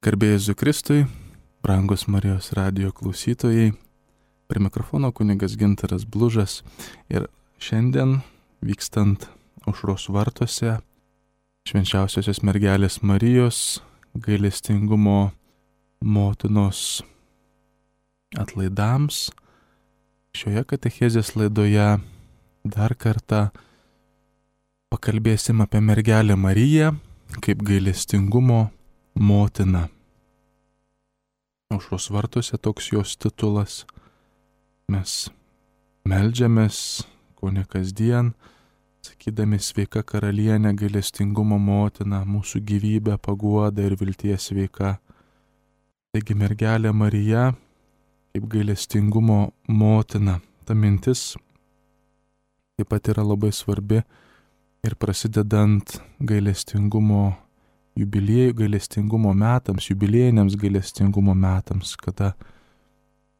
Garbė Jėzui Kristui, brangus Marijos radijo klausytojai, prie mikrofono kunigas Gintaras Blužas ir šiandien vykstant Aušros vartuose Švenčiausiosios mergelės Marijos gailestingumo motinos atlaidams, šioje katechezės laidoje dar kartą pakalbėsim apie mergelę Mariją kaip gailestingumo motina. Aušros vartuose toks jos titulas. Mes meldžiamės, kone kasdien, sakydami sveika karalienė, gailestingumo motina, mūsų gyvybė, paguoda ir vilties sveika. Taigi mergelė Marija kaip gailestingumo motina. Ta mintis taip pat yra labai svarbi ir prasidedant gailestingumo jubiliejų, gailestingumo metams, jubiliejiniams gailestingumo metams, kada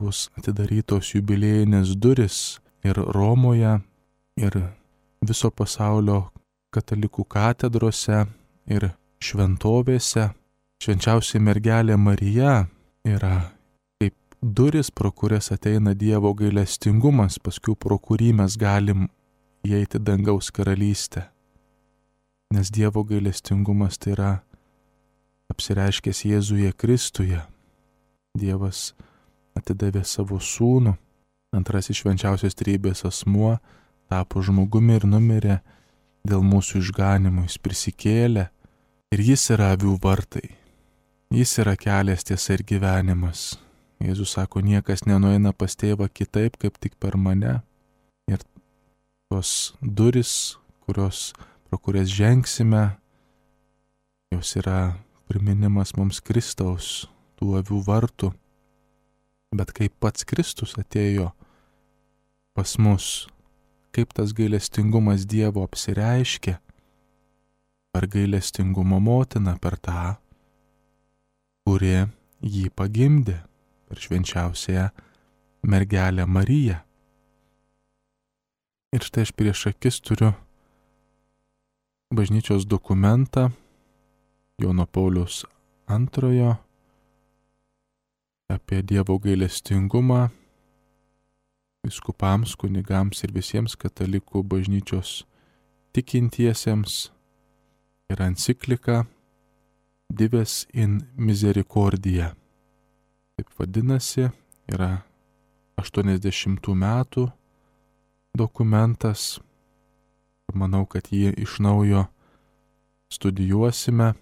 bus atidarytos jubiliejinės duris ir Romoje, ir viso pasaulio katalikų katedrose ir šventovėse. Švenčiausia mergelė Marija yra kaip duris, pro kurias ateina Dievo gailestingumas, paskui pro kurį mes galim įeiti dangaus karalystę. Nes Dievo gailestingumas tai yra apsireiškęs Jėzuje Kristuje. Dievas atidavė savo sūnų, antrasis švenčiausios trejybės asmuo, tapo žmogumi ir numirė dėl mūsų išganimo. Jis prisikėlė ir jis yra avių vartai. Jis yra kelias, tiesa ir gyvenimas. Jėzus sako, niekas nenueina pas tėvą kitaip, kaip tik per mane. Ir tos duris, pro kurias žengsime, jos yra priminimas mums Kristaus, tų avių vartų. Bet kaip pats Kristus atėjo pas mus, kaip tas gailestingumas Dievo apsireiškė per gailestingumo motiną, per tą, kuri jį pagimdė, per švenčiausiąją mergelę Mariją. Ir štai aš prieš akis turiu bažnyčios dokumentą Jono Pauliaus II apie Dievo gailestingumą vyskupams, kunigams ir visiems katalikų bažnyčios tikintiesiems. Yra enciklika Dives in Misericordia. Taip vadinasi, yra 80 metų dokumentas. Manau, kad jį iš naujo studijuosime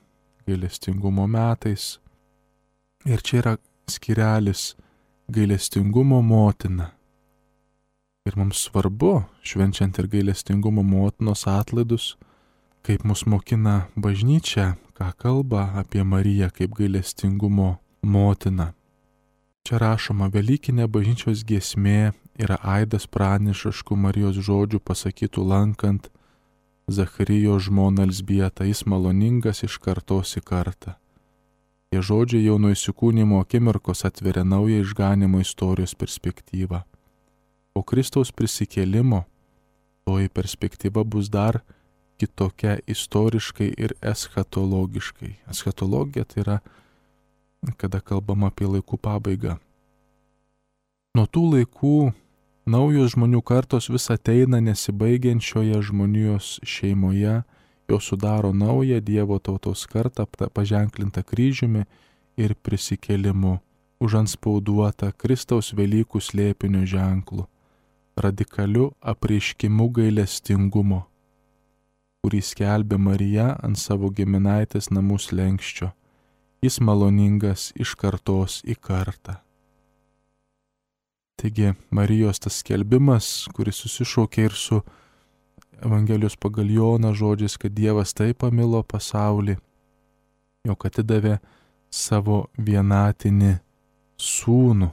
gailestingumo metais. Ir čia yra skyrelis gailestingumo motina. Ir mums svarbu, švenčiant ir gailestingumo motinos atlaidus, kaip mus mokina bažnyčia, ką kalba apie Mariją kaip gailestingumo motiną. Čia rašoma, velykinė bažnyčios giesmė yra aidas pranašiškų Marijos žodžių pasakytų lankant Zacharijo žmoną Elzbietą, jis maloningas iš kartos į kartą. Tie žodžiai jau nuo įsikūnymo akimirkos atveria naują išganimo istorijos perspektyvą. Po Kristaus prisikėlimo toji perspektyva bus dar kitokia istoriškai ir eschatologiškai. Eschatologija tai yra, kada kalbama apie laikų pabaigą. Nuo tų laikų naujos žmonių kartos vis ateina nesibaigiančioje žmonijos šeimoje, jos sudaro naują Dievo tautos kartą, paženklintą kryžiumi ir prisikėlimu, užantspauduotą Kristaus Velykų slėpinio ženklu, radikaliu apreiškimu gailestingumo, kurį skelbė Marija ant savo giminaitės namų slenksčio. Jis maloningas iš kartos į kartą. Taigi Marijos tas skelbimas, kuris susišaukė ir su Evangelijos pagal Joną žodžiais, kad Dievas taip pamilo pasaulį, jog atidavė savo vienatinį sūnų,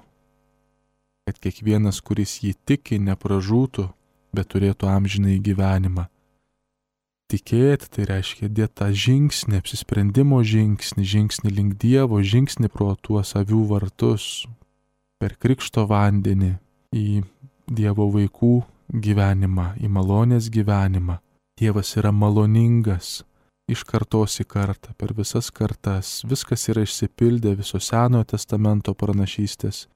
kad kiekvienas, kuris jį tiki, nepražūtų, bet turėtų amžinąjį gyvenimą. Tikėti tai reiškia dėti tą žingsnį, apsisprendimo žingsnį link Dievo, žingsnį pro tuos avių vartus, per krikšto vandenį į Dievo vaikų gyvenimą, į malonės gyvenimą. Dievas yra maloningas, iš kartos į kartą, per visas kartas. Viskas yra išsipildę, viso Senojo testamento pranašystės.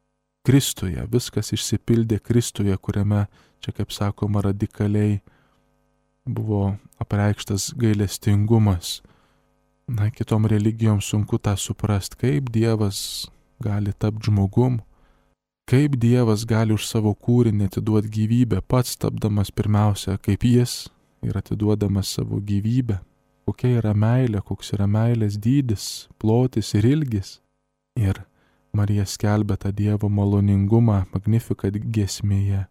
Kristuje, viskas išsipildė Kristuje, kuriame, čia kaip sakoma, radikaliai buvo apreikštas gailestingumas. Na, kitom religijom sunku tą suprasti, kaip Dievas gali tapti žmogum, kaip Dievas gali už savo kūrinį atiduoti gyvybę, pats tapdamas pirmiausia kaip Jis ir atiduodamas savo gyvybę. Kokia yra meilė, koks yra meilės dydis, plotis ir ilgis. Ir Marija skelbia tą Dievo maloningumą Magnificat giesmėje.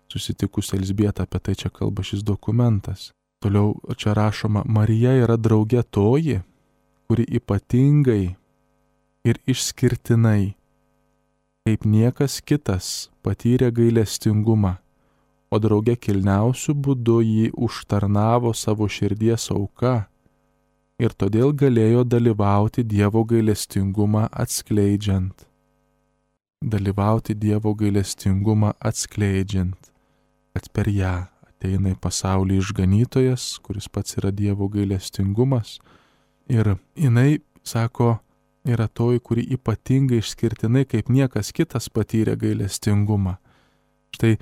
Susitikus Elzbietą, apie tai čia kalba šis dokumentas. Toliau čia rašoma, Marija yra draugė toji, kuri ypatingai ir išskirtinai, kaip niekas kitas, patyrė gailestingumą, o draugė kilniausiu būdu jį užtarnavo savo širdies auka ir todėl galėjo dalyvauti Dievo gailestingumą atskleidžiant. Dalyvauti Dievo gailestingumą atskleidžiant, kad per ją ateina į pasaulį išganytojas, kuris pats yra Dievo gailestingumas. Ir jinai, sako, yra toji, kuri ypatingai išskirtinai kaip niekas kitas patyrė gailestingumą. Štai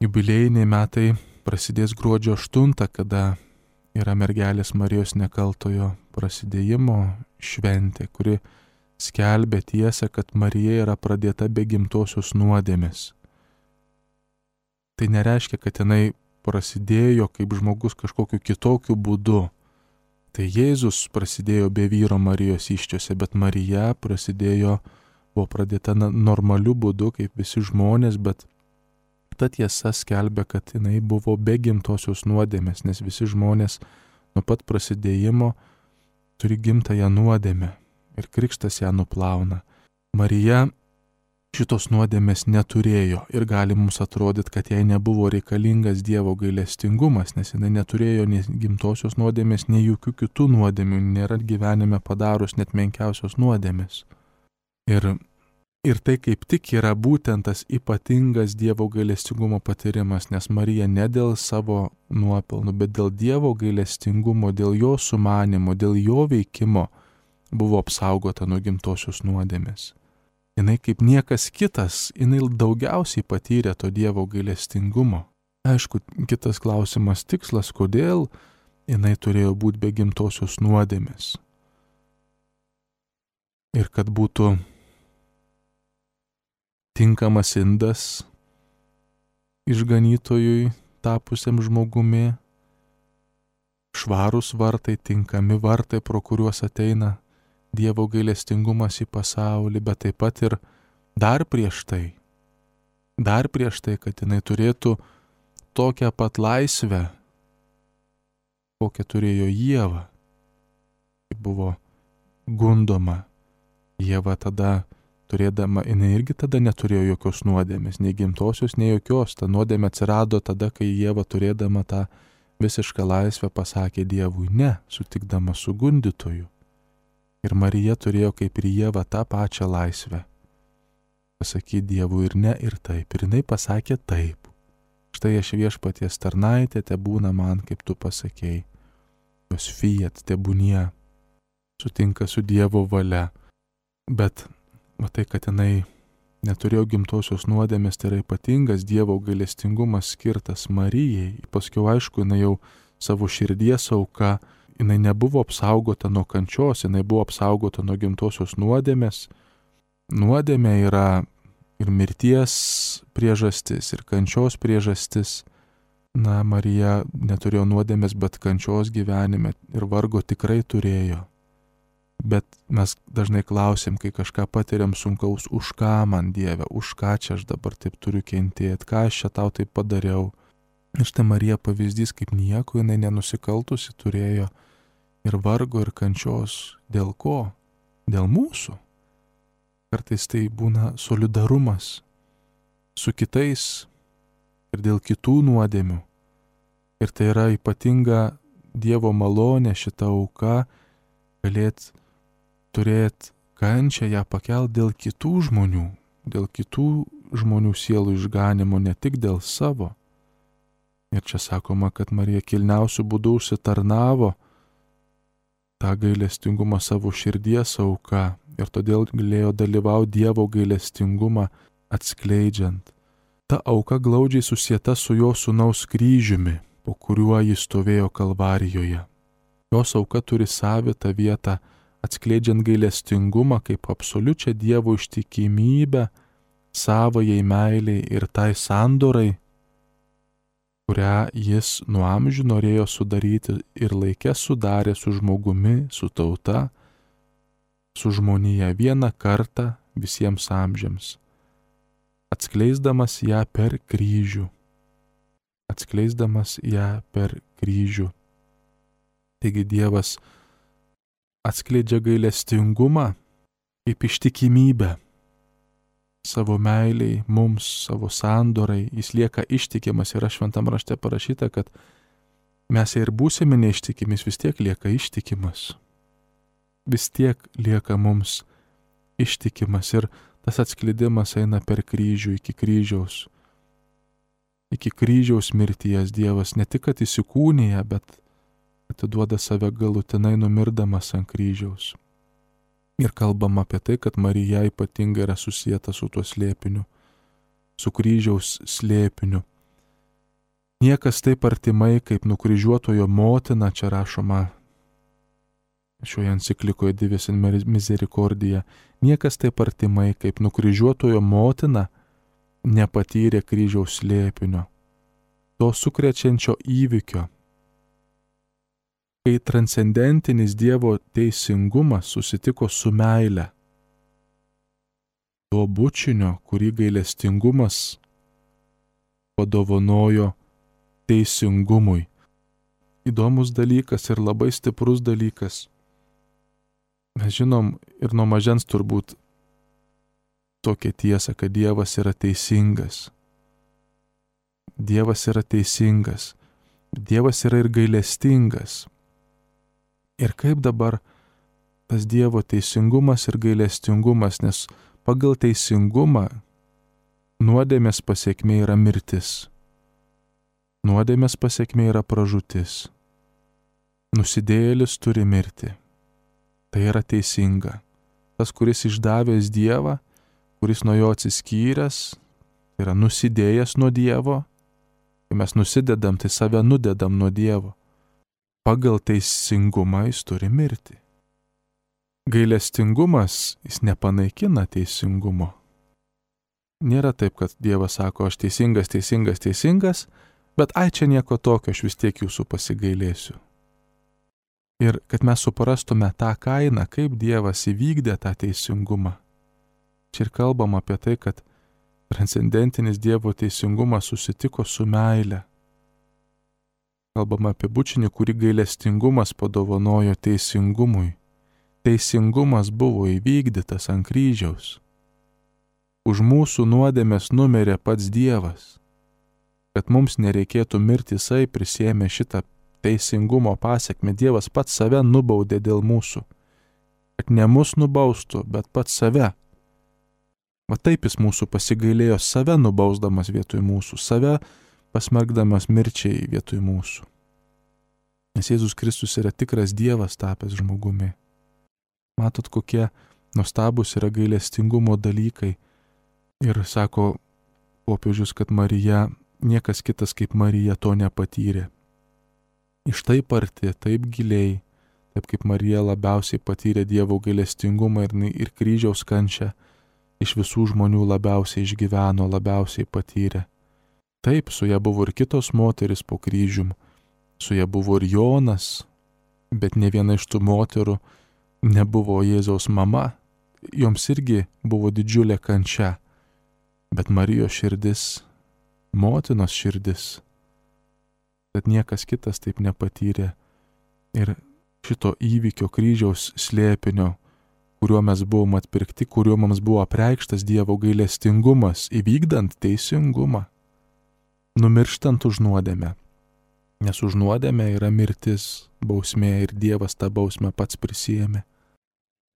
jubiliejiniai metai prasidės gruodžio 8, kada yra mergelės Marijos nekaltojo prasidėjimo šventė, kuri skelbia tiesą, kad Marija yra pradėta be gimtosios nuodėmės. Tai nereiškia, kad jinai prasidėjo kaip žmogus kažkokiu kitokiu būdu. Tai Jėzus prasidėjo be vyro Marijos įsčiose, bet Marija buvo pradėta normaliu būdu, kaip visi žmonės, bet ta tiesa skelbia, kad jinai buvo be gimtosios nuodėmės, nes visi žmonės nuo pat prasidėjimo turi gimtąją nuodėmę ir krikštas ją nuplauna. Marija šitos nuodėmės neturėjo ir gali mums atrodyti, kad jai nebuvo reikalingas Dievo gailestingumas, nes jinai neturėjo nei gimtosios nuodėmės, nei jokių kitų nuodėmių, nėra gyvenime padarus net menkiausios nuodėmės. Ir tai kaip tik yra būtent tas ypatingas Dievo gailestingumo patyrimas, nes Marija ne dėl savo nuopelnų, bet dėl Dievo gailestingumo, dėl jo sumanimo, dėl jo veikimo buvo apsaugota nuo gimtosios nuodėmės. Jinai kaip niekas kitas, jinai daugiausiai patyrė to Dievo gailestingumo. Aišku, kitas klausimas tikslas, kodėl jinai turėjo būti be gimtosios nuodėmės. Ir kad būtų tinkamas indas išganytojui tapusiam žmogumi, švarūs vartai, tinkami vartai, pro kuriuos ateina Dievo gailestingumas į pasaulį, bet taip pat ir dar prieš tai, kad jinai turėtų tokią pat laisvę, kokią turėjo Ieva, kai buvo gundoma. Ieva tada turėdama, jinai irgi tada neturėjo jokios nuodėmės, nei gimtosios, nei jokios. Ta nuodėmė atsirado tada, kai Ieva turėdama tą visišką laisvę pasakė Dievui ne, sutikdama su gundytoju. Ir Marija turėjo kaip ir Ieva tą pačią laisvę. Pasakyti Dievui ir ne, ir taip. Ir jinai pasakė taip. Štai aš Viešpaties tarnaitė, tebūna man, kaip tu pasakėjai. Jos fiat, tebūnie, sutinka su Dievo valia. Bet matai, kad jinai neturėjo gimtosios nuodėmės, tai yra ypatingas Dievo gailestingumas skirtas Marijai. Paskiau, aišku, jinai jau savo širdies auka, jinai nebuvo apsaugota nuo kančios, jinai buvo apsaugota nuo gimtosios nuodėmės. Nuodėmė yra ir mirties priežastis, ir kančios priežastis. Na, Marija neturėjo nuodėmės, bet kančios gyvenime ir vargo tikrai turėjo. Bet mes dažnai klausim, kai kažką patiriam sunkaus, už ką man Dieve, už ką čia aš dabar taip turiu kentėti, ką aš čia tau taip padariau. Ir štai Marija pavyzdys, kaip nieko jinai nenusikaltusi turėjo ir vargo, ir kančios. Dėl ko? Dėl mūsų. Kartais tai būna solidarumas su kitais ir dėl kitų nuodėmių. Ir tai yra ypatinga Dievo malonė šita auka, galėt turėti kančią, ją pakelt dėl kitų žmonių sielų išganimo, ne tik dėl savo. Ir čia sakoma, kad Marija kilniausiu būdu užsitarnavo tą gailestingumą savo širdies auka ir todėl galėjo dalyvauti Dievo gailestingumą atskleidžiant. Ta auka glaudžiai susieta su jo sūnaus kryžiumi, po kuriuo jis stovėjo Kalvarijoje. Jos auka turi savitą vietą, atskleidžiant gailestingumą kaip absoliučią Dievo ištikimybę savajai meiliai ir tai sandorai, kurią jis nuo amžių norėjo sudaryti ir laikė sudarė su žmogumi, su tauta, su žmonija vieną kartą visiems amžiams, atskleisdamas ją per kryžių. Atskleisdamas ją per kryžių. Taigi Dievas atskleidžia gailestingumą kaip ištikimybę savo meiliai, mums, savo sandorai, jis lieka ištikimas. Yra šventam rašte parašyta, kad mes ir būsime neištikimis, vis tiek lieka ištikimas. Vis tiek lieka mums ištikimas ir tas atskleidimas eina per kryžių iki kryžiaus. Iki kryžiaus mirties Dievas ne tik kad įsikūnija, bet atiduoda save galutinai numirdamas ant kryžiaus. Ir kalbam apie tai, kad Marija ypatingai yra susieta su tuo slėpiniu, su kryžiaus slėpiniu. Niekas taip artimai kaip nukryžiuotojo motina, čia rašoma šioje enciklikoje Divis in Misericordia, niekas taip artimai kaip nukryžiuotojo motina nepatyrė kryžiaus slėpinio, to sukrečiančio įvykio, kai transcendentinis Dievo teisingumas susitiko su meile, to bučinio, kurį gailestingumas padovanojo teisingumui. Įdomus dalykas ir labai stiprus dalykas. Mes žinom ir nuo mažens turbūt tokią tiesą, kad Dievas yra teisingas. Dievas yra teisingas. Dievas yra ir gailestingas. Ir kaip dabar tas Dievo teisingumas ir gailestingumas, nes pagal teisingumą nuodėmės pasekmė yra mirtis. Nuodėmės pasekmė yra pražūtis. Nusidėjėlis turi mirti. Tai yra teisinga. Tas, kuris išdavęs Dievą, kuris nuo jo atsiskyręs, tai yra nusidėjęs nuo Dievo. Kai mes nusidedam, tai save nudedam nuo Dievo. Pagal teisingumą jis turi mirti. Gailestingumas, jis nepanaikina teisingumo. Nėra taip, kad Dievas sako, aš teisingas, bet ai čia nieko tokio, aš vis tiek jūsų pasigailėsiu. Ir kad mes suprastume tą kainą, kaip Dievas įvykdė tą teisingumą. Čia ir kalbam apie tai, kad transcendentinis Dievo teisingumas susitiko su meile. Kalbam apie bučinį, kurį gailestingumas padovanojo teisingumui. Teisingumas buvo įvykdytas ant kryžiaus. Už mūsų nuodėmes numirė pats Dievas. Kad mums nereikėtų mirti, jisai prisėmė šitą teisingumo pasekmę. Dievas pats save nubaudė dėl mūsų. Kad ne mus nubaustų, bet pats save. Va taip jis mūsų pasigailėjo, save nubausdamas vietoj mūsų, save pasmergdamas mirčiai vietoj mūsų. Nes Jėzus Kristus yra tikras Dievas tapęs žmogumi. Matot, kokie nuostabus yra gailestingumo dalykai. Ir sako popiežius, kad Marija, niekas kitas kaip Marija to nepatyrė. Iš taip arti, taip giliai, taip kaip Marija labiausiai patyrė Dievo gailestingumą ir kryžiaus kančią, iš visų žmonių labiausiai išgyveno, labiausiai patyrė. Taip, su ja buvo ir kitos moteris po kryžium, su ja buvo ir Jonas, bet ne viena iš tų moterų nebuvo Jėzaus mama, joms irgi buvo didžiulė kančia, bet Marijos širdis, motinos širdis, kad niekas kitas taip nepatyrė. Ir šito įvykio kryžiaus slėpinio, kuriuo mes buvom atpirkti, kuriuo mums buvo apreikštas Dievo gailestingumas, įvykdant teisingumą, numirštant už nuodėmę. Nes už nuodėmę yra mirtis, bausmė ir Dievas tą bausmę pats prisiėmė.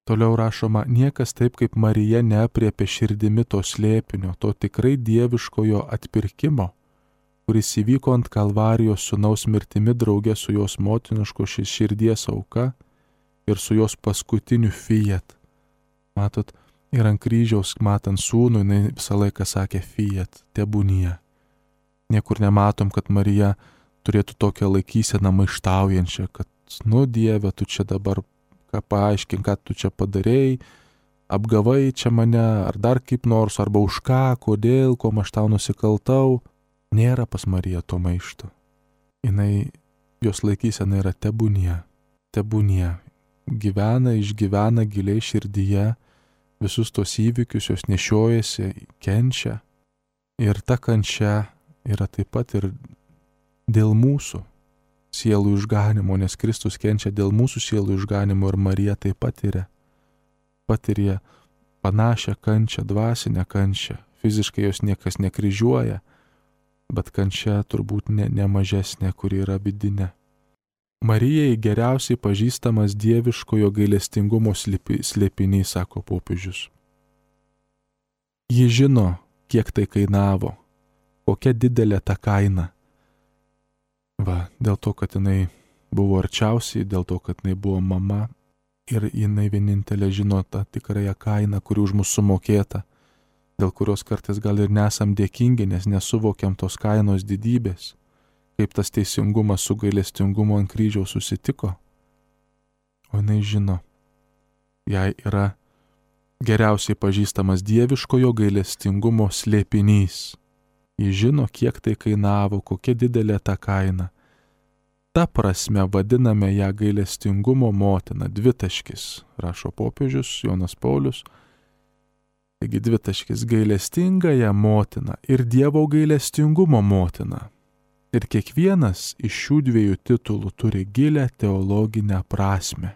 Toliau rašoma, niekas taip kaip Marija neapriepė širdimi to slėpinio, to tikrai dieviškojo atpirkimo, kuris įvyko ant Kalvarijos sūnaus mirtimi drauge su jos motiniško širdies auka ir su jos paskutiniu fiat. Matot, ir ant kryžiaus matant sūnų, jinai visą laiką sakė fiat, tebūnie. Niekur nematom, kad Marija turėtų tokią laikyseną maištaujančią, kad, Dieve, tu čia dabar paaiškink, ką tu čia padarėjai, apgavai čia mane, ar dar kaip nors, arba už ką, kodėl, ko aš tau nusikaltau. Nėra pas Mariją to maišto. Jos laikysena yra tebūnie. Išgyvena giliai širdyje visus tos įvykius, jos nešiojasi, kenčia. Ir ta kančia yra taip pat ir dėl mūsų sielų išganimo, nes Kristus kenčia dėl mūsų sielų išganimo ir Marija taip patiria panašią kančią, dvasinę kančią. Fiziškai jos niekas nekryžiuoja, bet kančia turbūt ne mažesnė, kuri yra vidinė. Marijai geriausiai pažįstamas dieviškojo gailestingumo slėpinys, sako popiežius. Ji žino, kiek tai kainavo, kokia didelė ta kaina. Dėl to, kad jinai buvo arčiausiai, dėl to, kad jinai buvo mama ir jinai vienintelė žino tą tikrąją kainą, kuri už mus sumokėta, dėl kurios kartais gal ir nesam dėkingi, nes nesuvokiam tos kainos didybės, kaip tas teisingumas su gailestingumu ant kryžiaus susitiko. O jinai žino, jai yra geriausiai pažįstamas dieviškojo gailestingumo slėpinys. Ji žino, kiek tai kainavo, kokia didelė ta kaina. Ta prasme vadiname ją gailestingumo motina, dvitaškis, rašo popiežius Jonas Paulius. Taigi dvitaškis, gailestingąją motiną ir Dievo gailestingumo motina. Ir kiekvienas iš šių dviejų titulų turi gilią teologinę prasmę.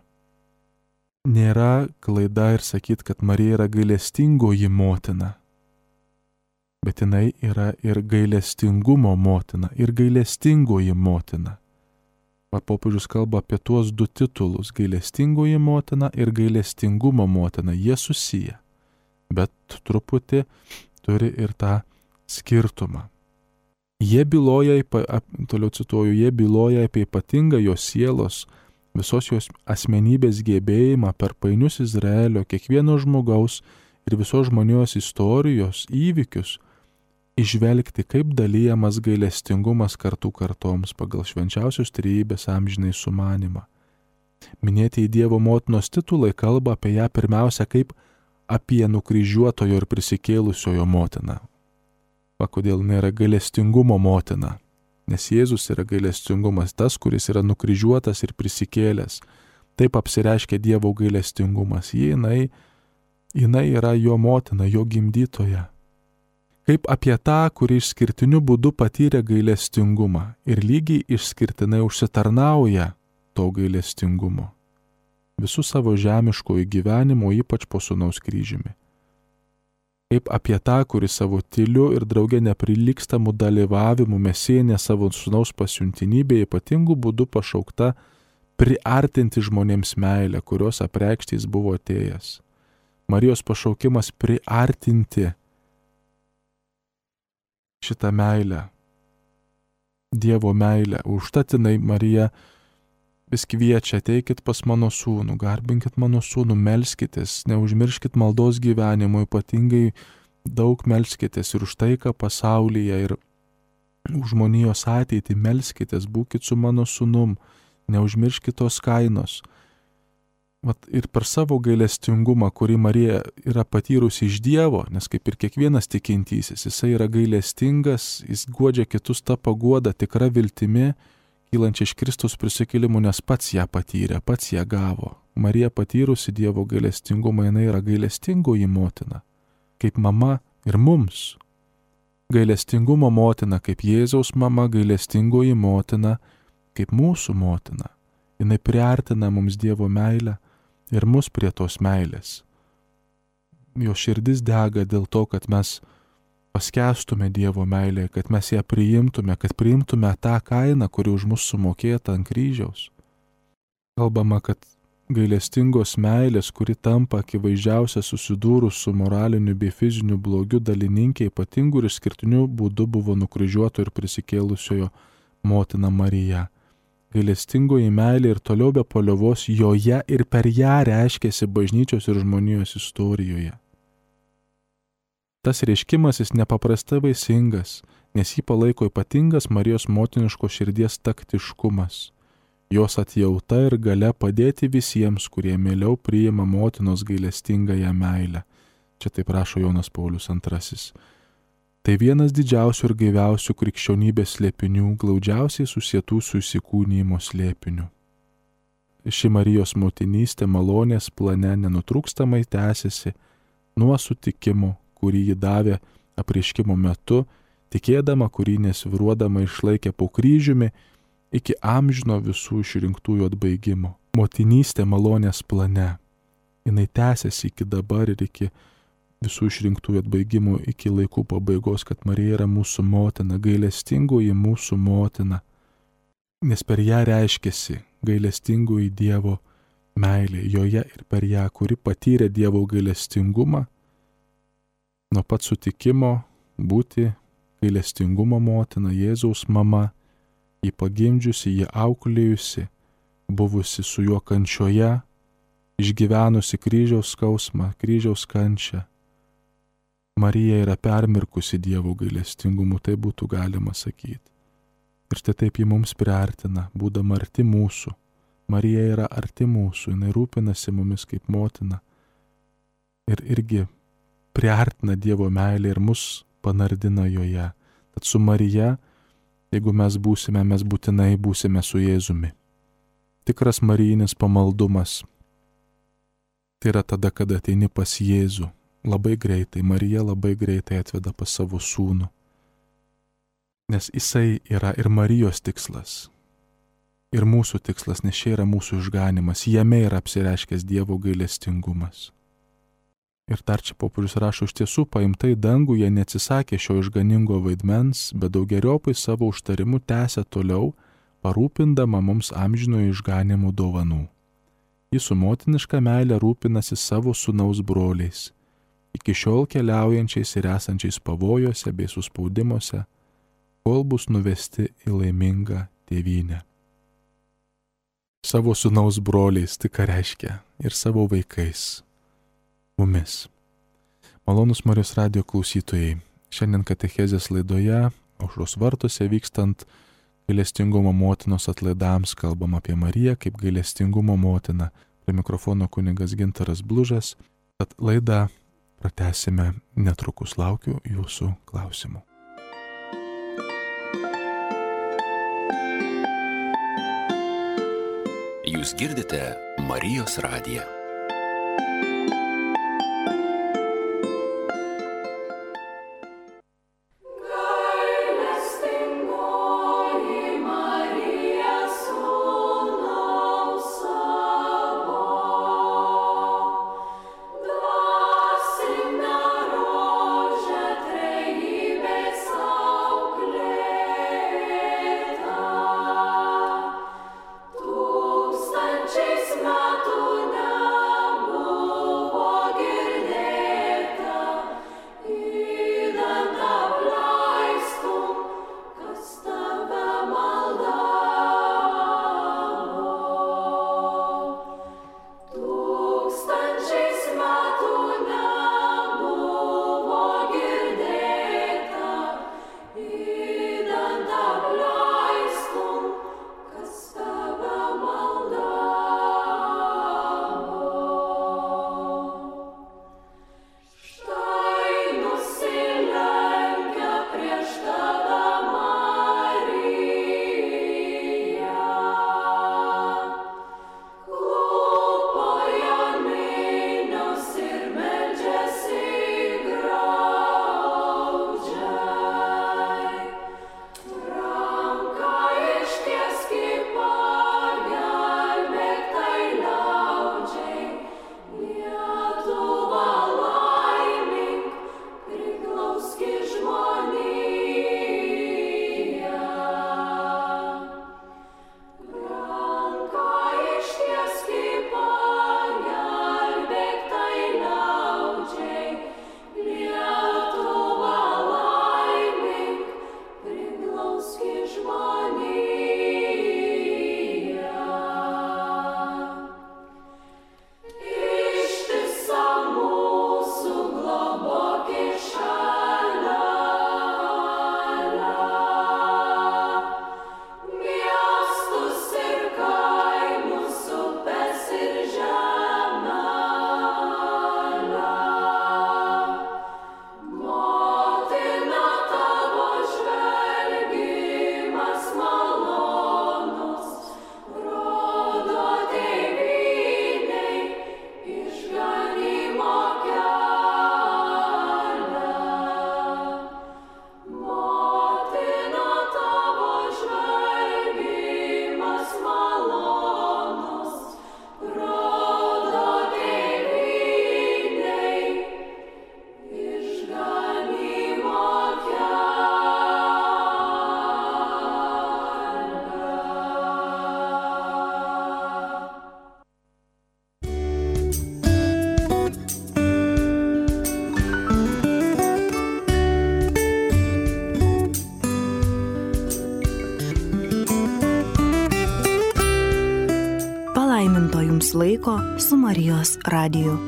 Nėra klaida ir sakyti, kad Marija yra gailestingoji motina, bet jinai yra ir gailestingumo motina, ir gailestingoji motina. Popiežius kalba apie tuos du titulus - gailestingoji motina ir gailestingumo motina. Jie susiję, bet truputį turi ir tą skirtumą. Toliau cituoju, jie byloja apie ypatingą jos sielos, visos jos asmenybės gebėjimą per painius Izraelio, kiekvieno žmogaus ir visos žmonijos istorijos įvykius išvelgti, kaip dalyjamas gailestingumas kartų kartoms pagal švenčiausios trejybės amžinai sumanimą. Minėtieji Dievo motinos titulai kalba apie ją pirmiausia kaip apie nukryžiuotojo ir prisikėlusiojo motiną. Kodėl nėra gailestingumo motina? Nes Jėzus yra gailestingumas, tas, kuris yra nukryžiuotas ir prisikėlęs. Taip apsireiškia Dievo gailestingumas. Jinai yra jo motina, jo gimdytoja. Kaip apie tą, kuri išskirtiniu būdu patyrė gailestingumą ir lygiai išskirtinai užsitarnauja to gailestingumo. Visų savo žemiškojų gyvenimo, ypač po sūnaus kryžiumi. Kaip apie tą, kuri savo tyliu ir drauge neprilygstamu dalyvavimu mesijinė savo sūnaus pasiuntinybė ypatingų būdų pašaukta priartinti žmonėms meilę, kurios apreikšti jis buvo atėjęs. Marijos pašaukimas priartinti šitą meilę, Dievo meilę. Užtat jinai Marija vis kviečia, ateikit pas mano sūnų, garbinkit mano sūnų, melskitės, neužmirškit maldos gyvenimo, ypatingai daug melskitės ir už taiką pasaulyje ir už žmonijos ateitį melskitės, būkit su mano sūnum, neužmirškit tos kainos. Ir per savo gailestingumą, kurį Marija yra patyrusi iš Dievo, nes kaip ir kiekvienas tikintysis, jisai yra gailestingas, jis guodžia kitus tą paguodą tikra viltimi, kylančia iš Kristaus prisikėlimų, nes pats ją patyrė, pats ją gavo. Marija patyrusi Dievo gailestingumą, jinai yra gailestingoji motina, kaip mama ir mums. Gailestingumo motina, kaip Jėzaus mama, gailestingoji motina, kaip mūsų motina. Jinai priartina mums Dievo meilę ir mus prie tos meilės. Jo širdis dega dėl to, kad mes paskęstume Dievo meilėje, kad mes ją priimtume, kad priimtume tą kainą, kuri už mus sumokėta ant kryžiaus. Kalbama, kad gailestingos meilės, kuri tampa akivaizdžiausia susidūrus su moraliniu bei fiziniu blogiu dalininkė, ypatingų ir išskirtiniu būdu buvo nukryžiuoto ir prisikėlusiojo motina Marija. gailestingoji meilė ir toliau be paliovos joje ir per ją reiškėsi bažnyčios ir žmonijos istorijoje. Tas reiškimas jis nepaprastai vaisingas, nes jį palaiko ypatingas Marijos motiniškos širdies taktiškumas, jos atjauta ir galia padėti visiems, kurie mieliau priima motinos gailestingąją meilę. Čia taip rašo Jonas Paulius II. Tai vienas didžiausių ir gaiviausių krikščionybės slėpinių, glaudžiausiai susietų su įsikūnijimo slėpiniu. Ši Marijos motinystė malonės plane nenutrūkstamai tęsiasi nuo sutikimo, kurį ji davė apreiškimo metu, tikėdama, kurį nesviruodama išlaikė po kryžiumi, iki amžino visų išrinktųjų atbaigimo. Motinystė malonės plane. Jinai tęsiasi iki dabar ir iki visų išrinktųjų atbaigimų, iki laikų pabaigos, kad Marija yra mūsų motina, gailestingoji mūsų motina. Nes per ją reiškėsi gailestingoji Dievo meilė, joje ir per ją, kuri patyrė Dievo gailestingumą, nuo pat sutikimo būti gailestingumo motina, Jėzaus mama, jį pagimdžiusi, jį auklėjusi, buvusi su juo kančioje, išgyvenusi kryžiaus skausmą, kryžiaus kančią. Marija yra permirkusi Dievo gailestingumu, tai būtų galima sakyti. Ir štai taip ji mums priartina, būdama arti mūsų. Marija yra arti mūsų, jinai rūpinasi mumis kaip motina. Ir irgi priartina Dievo meilę ir mus panardina joje. Tad su Marija, jeigu mes būtinai būsime su Jėzumi. Tikras marijinis pamaldumas. Tai yra tada, kada ateini pas Jėzų. Labai greitai, Marija labai greitai atveda pas savo sūnų. Nes jisai yra ir Marijos tikslas. Ir mūsų tikslas, nes čia yra mūsų išganimas. Jame yra apsireiškęs Dievo gailestingumas. Ir dar čia popiežius rašo, iš tiesų paimtai dangų jie neatsisakė šio išganingo vaidmens, bet daugeriopai savo užtarimu tęsė toliau, parūpindama mums amžinojo išganimų dovanų. Jis su motiniška meilė rūpinasi savo sūnaus broliais, iki šiol keliaujančiais ir esančiais pavojuose bei suspaudimuose, kol bus nuvesti į laimingą tėvynę. Savo sūnaus broliais, tai ką reiškia, ir savo vaikais. Mumis. Malonus Marijos radijo klausytojai, šiandien katechezės laidoje, Aušros vartuose vykstant gailestingumo motinos atlaidams, kalbam apie Mariją kaip gailestingumo motiną. Prie mikrofono kunigas Gintaras Blužas, tad laidą pratęsime netrukus, laukiu jūsų klausimų. Jūs girdite Marijos radiją. Tūkstančiais metų nebūtų. laiko su Marijos radiju.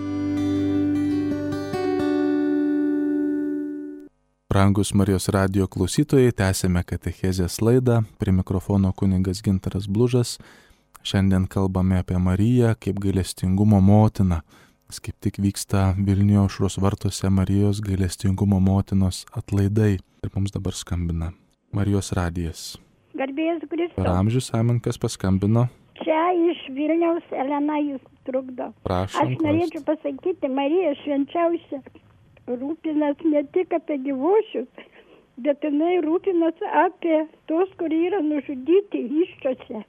Brangus Marijos radijo klausytojai, tęsėme katechezės laidą. Prie mikrofono kunigas Gintaras Blužas. Šiandien kalbame apie Mariją kaip gailestingumo motiną. Kaip tik vyksta Vilniuje Aušros vartuose Marijos gailestingumo motinos atlaidai. Ir mums dabar skambina Marijos radijas. Garbėjas Kristus. Per amžius amen, kas paskambino. Čia iš Vilniaus Elena jūs trukdo. Prašom. Aš norėčiau pasakyti, Marija švenčiausia rūpinasi ne tik apie gyvuosius, bet jinai rūpinasi apie tos, kurie yra nužudyti iščiose.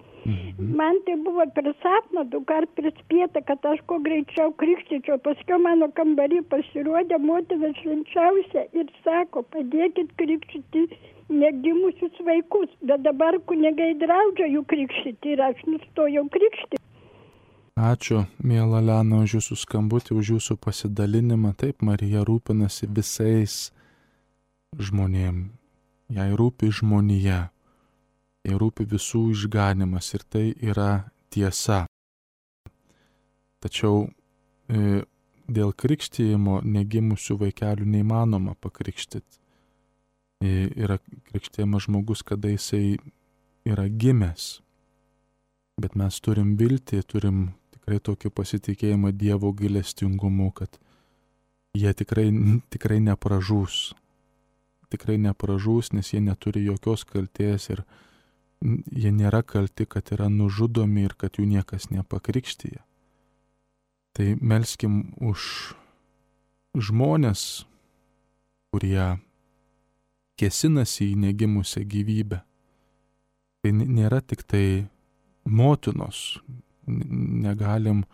Man tai buvo per sapną, 2 kart prispėta, kad aš kuo greičiau krikštyčiau. Paskui mano kambarį pasirodė motina švenčiausia ir sako, padėkit krikštyti negimusius vaikus. Bet dabar kunigai draudžia jų krikštyti ir aš nustojau krikštyti. Ačiū, miela Lena, už jūsų skambutį, už jūsų pasidalinimą. Taip, Marija rūpinasi visais žmonėm. Jai rūpi žmonija. Jai rūpi visų išganimas ir tai yra tiesa. Tačiau dėl krikštijimo negimusių vaikelių neįmanoma pakrikštyti. Yra krikštijamas žmogus, kada jisai yra gimęs. Bet mes turim viltį, turim tikrai tokį pasitikėjimą Dievo gailestingumu, kad jie tikrai nepražūs. Tikrai nepražūs, nes jie neturi jokios kaltės ir jie nėra kalti, kad yra nužudomi ir kad jų niekas nepakrikštyja. Tai melskim už žmonės, kurie kėsinasi į negimusią gyvybę. Tai nėra tik tai motinos. Negalim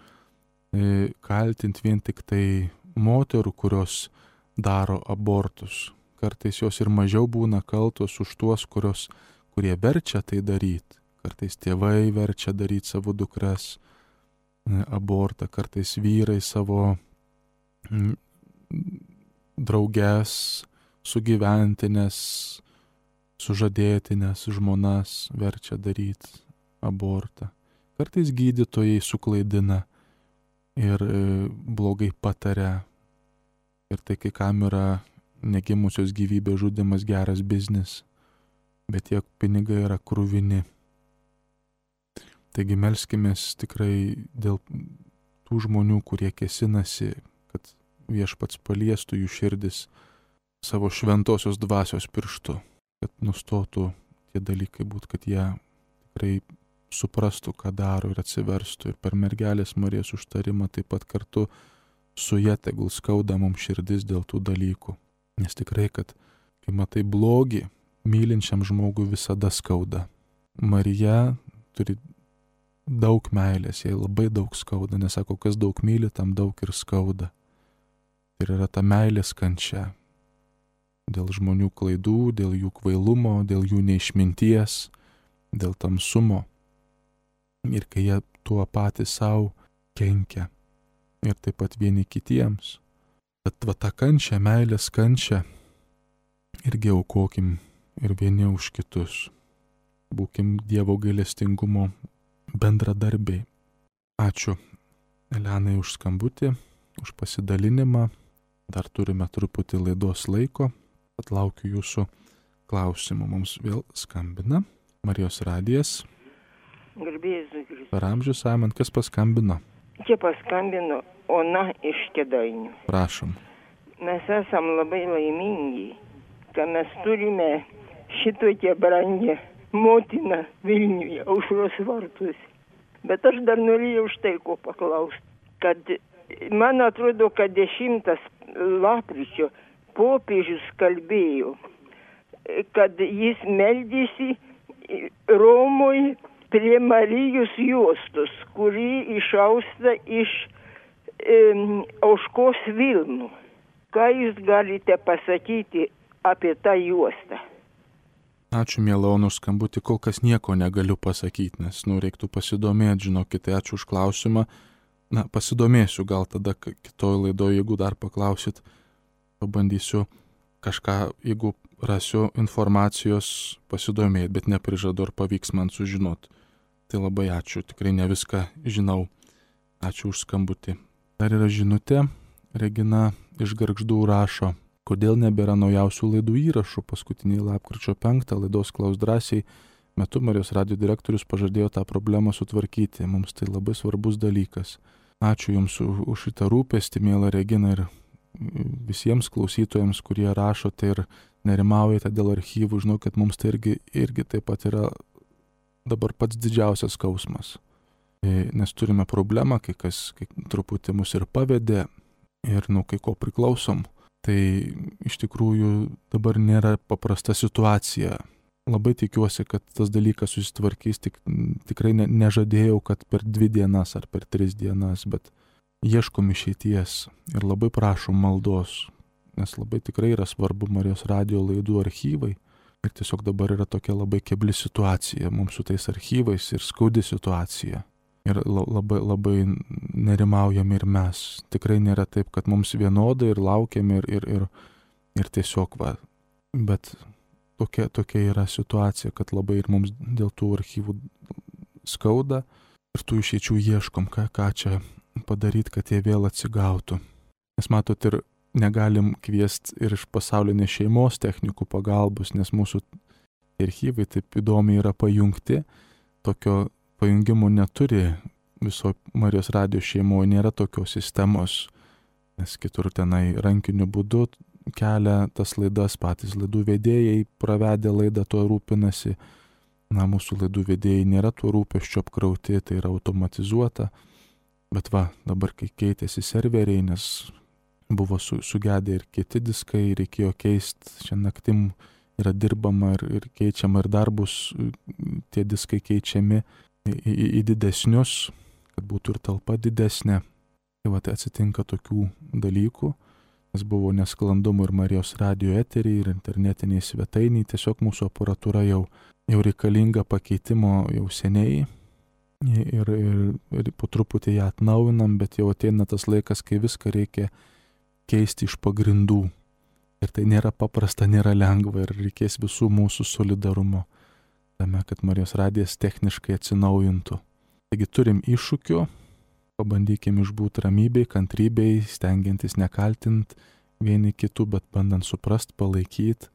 kaltinti vien tik tai moterų, kurios daro abortus. Kartais jos ir mažiau būna kaltos už tuos, kurie verčia tai daryti. Kartais tėvai verčia daryti savo dukras abortą, kartais vyrai savo drauges, sugyventinės, sužadėtinės žmonas verčia daryti abortą. Kartais gydytojai suklaidina ir blogai pataria. Ir tai kai kam yra negimusios gyvybės žudimas geras biznis, bet tiek pinigai yra kruvini. Taigi melskimės tikrai dėl tų žmonių, kurie kėsinasi, kad Viešpats paliestų jų širdis savo šventosios dvasios pirštu, kad nustotų tie dalykai būt, kad jie tikrai suprastų, ką daro ir atsiverstų. Ir per mergelės Marijos užtarimą taip pat kartu su ja tegul skauda mums širdis dėl tų dalykų. Nes tikrai, kad kai matai blogį, mylinčiam žmogui visada skauda. Marija turi daug meilės, jai labai daug skauda, nes sako, kas daug myli, tam daug ir skauda. Ir yra ta meilės kančia. Dėl žmonių klaidų, dėl jų kvailumo, dėl jų neišminties, dėl tamsumo. Ir kai jie tuo patys savo kenkia. Ir taip pat vieni kitiems. Bet va tą kančią, meilės kančią irgi aukokim ir vieni už kitus. Būkim Dievo gailestingumo bendradarbiai. Ačiū Elenai už skambutį, už pasidalinimą. Dar turime truputį laidos laiko. Atlaukiu jūsų klausimų. Mums vėl skambina Marijos radijas. Garbėjas Kristus. Per amžius amen, kas paskambino? Čia paskambino Ona iš Kėdainių. Prašom. Mes esam labai laimingi, kad mes turime šitokią brangę motiną Vilniuje, Aušros vartuose. Bet aš dar norėjau štai ko paklausti, kad man atrodo, kad 10 lapkričio popiežius kalbėjo, kad jis meldėsi Romoje prie Marijos juostos, kuri išausta iš Auškos Vilnų. Ką jūs galite pasakyti apie tą juostą? Ačiū, miela Ona, už skambutį. Kol kas nieko negaliu pasakyti, nes reiktų pasidomėti, žinokite, ačiū už klausimą. Pasidomėsiu, gal tada kitoj laidoje, jeigu dar paklausit, pabandysiu kažką, jeigu rasiu informacijos, pasidomėti, bet neprižadu, ar pavyks man sužinoti. Tai labai ačiū, tikrai ne viską žinau. Ačiū už skambutį. Dar yra žinutė. Regina iš Gargždų rašo, kodėl nebėra naujausių laidų įrašų. Paskutinį lapkričio 5 laidos Klaus drąsiai metu Marijos radijo direktorius pažadėjo tą problemą sutvarkyti. Mums tai labai svarbus dalykas. Ačiū Jums už šitą rūpestį, miela Regina, ir visiems klausytojams, kurie rašote ir nerimaujate dėl archyvų. Žinau, kad mums tai irgi taip pat yra dabar pats didžiausias skausmas. Nes turime problemą, kai truputį mus ir pavedė ir kai ko priklausom. Tai iš tikrųjų dabar nėra paprasta situacija. Labai tikiuosi, kad tas dalykas susitvarkys, tikrai nežadėjau, kad per 2 dienas ar per 3 dienas, bet ieškom išeities ir labai prašom maldos, nes labai tikrai yra svarbu Marijos radijo laidų archyvai ir tiesiog dabar yra tokia labai kebli situacija mums su tais archyvais ir skaudi situacija. Ir labai nerimaujame ir mes. Tikrai nėra taip, kad mums vienodai ir laukiame ir tiesiog va. Bet tokia yra situacija, kad labai ir mums dėl tų archyvų skauda ir tų išeičių ieškom, ką čia padaryti, kad jie vėl atsigautų. Nes matot, ir negalim kviesti ir iš pasaulinės šeimos technikų pagalbos, nes mūsų archyvai taip įdomiai yra pajungti. Tokio pajungimo neturi viso Marijos radijo šeimoje, nėra tokios sistemos, nes kitur tenai rankiniu būdu kelia tas laidas, patys laidų vedėjai pravedę laidą tuo rūpinasi. Mūsų laidų vedėjai nėra tuo rūpesčiu apkrauti, tai yra automatizuota. Bet va, dabar kai keitėsi serveriai, nes buvo sugedę ir kiti diskai, reikėjo keisti, šiandien naktim yra dirbama ir keičiama ir dar bus tie diskai keičiami į didesnius, kad būtų ir talpa didesnė. Tai va, tai atsitinka tokių dalykų, nes buvo nesklandumų ir Marijos radijo eteriai, ir internetiniai svetainiai, tiesiog mūsų aparatūra jau reikalinga pakeitimo jau seniai. Ir po truputį ją atnaujinam, bet jau ateina tas laikas, kai viską reikia keisti iš pagrindų. Ir tai nėra paprasta, nėra lengva ir reikės visų mūsų solidarumo tame, kad Marijos radijas techniškai atsinaujintų. Taigi turim iššūkių, pabandykim išbūti ramybei, kantrybei, stengiantis nekaltint vieni kitų, bet bandant suprast, palaikyti.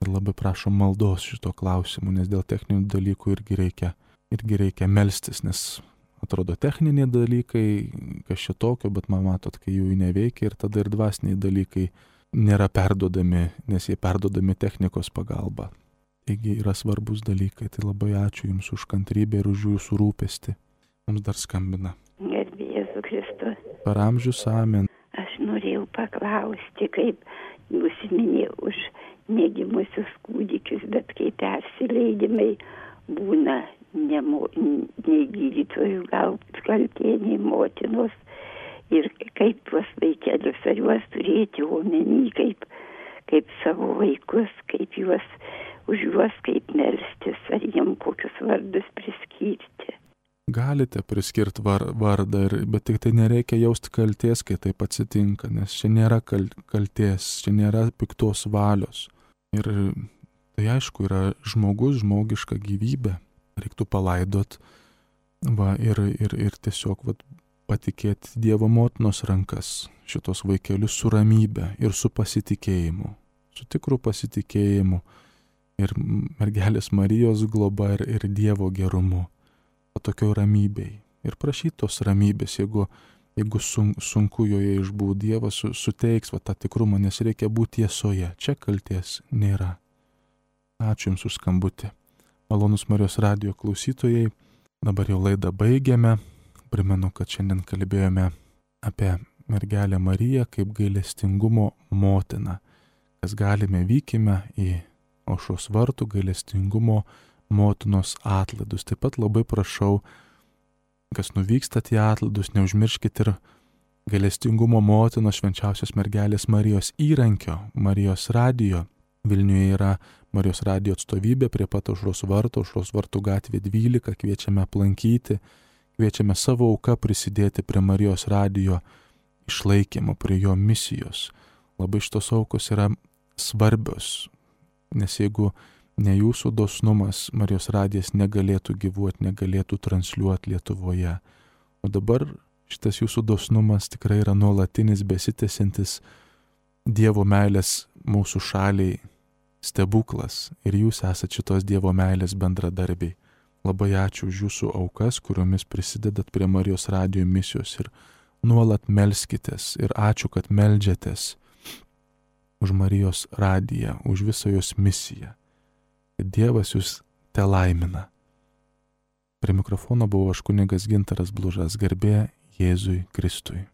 Ir labai prašom maldos šito klausimu, nes dėl techninių dalykų irgi reikia melstis, nes atrodo techniniai dalykai, kas čia tokio, bet man matot, kai jų neveikia ir tada ir dvasiniai dalykai nėra perdodami, nes jie perdodami technikos pagalba. Taigi yra svarbus dalykai, tai labai ačiū Jums už kantrybę ir už Jūsų rūpestį. Mums dar skambina. Gerbė Jėzų Kristų. Per amžius amen. Aš norėjau paklausti, kaip Jūs minėjau už negimusius kūdikius, bet kaip persileidimai būna nei gydytojų gal kaltė, nei motinos. Ir kaip tuos vaikelius, ar juos turėti omeny, kaip savo vaikus, kaip už juos kaip melstis, ar jiem kokius vardus priskirti. Galite priskirti vardą, bet tik tai nereikia jausti kaltės, kai taip atsitinka, nes čia nėra kaltės, čia nėra piktos valios. Ir tai aišku yra žmogiška gyvybė, reiktų palaidot ir tiesiog patikėti Dievo motinos rankas šitos vaikelius su ramybe ir su pasitikėjimu, su tikru pasitikėjimu ir mergelės Marijos globa ir Dievo gerumu, tokioj ramybei. Ir prašyti tos ramybės, jeigu sunku joje išbūti, Dievas suteiks tą tikrumą, nes reikia būti tiesoje. Čia kalties nėra. Ačiū Jums už skambutį. Malonus Marijos radijo klausytojai, dabar jau laidą baigiame. Primenu, kad šiandien kalbėjome apie mergelę Mariją kaip gailestingumo motiną. Kas galime, vykime į Aušros vartų gailestingumo motinos atlaidus. Taip pat labai prašau, kas nuvykstat į atlaidus, neužmirškit ir gailestingumo motinos švenčiausios mergelės Marijos įrankio, Marijos radijo. Vilniuje yra Marijos radijo atstovybė prie pat Aušros vartų gatvė 12, kviečiame aplankyti, kviečiame savo auką prisidėti prie Marijos radijo išlaikymo, prie jo misijos. Labai šitos aukos yra svarbios, nes jeigu ne Jūsų dosnumas, Marijos radijas negalėtų gyvuoti, negalėtų transliuoti Lietuvoje. O dabar šitas jūsų dosnumas tikrai yra nuolatinis, besitęsiantis Dievo meilės mūsų šaliai stebuklas ir jūs esate šitos Dievo meilės bendradarbiai. Labai ačiū už jūsų aukas, kuriomis prisidedat prie Marijos radijo misijos ir nuolat melskitės ir ačiū, kad meldžiatės už Marijos radiją, už visą jos misiją. Kad Dievas jūs te laimina. Prie mikrofono buvo aš kunigas Gintaras Blužas, garbė Jėzui Kristui.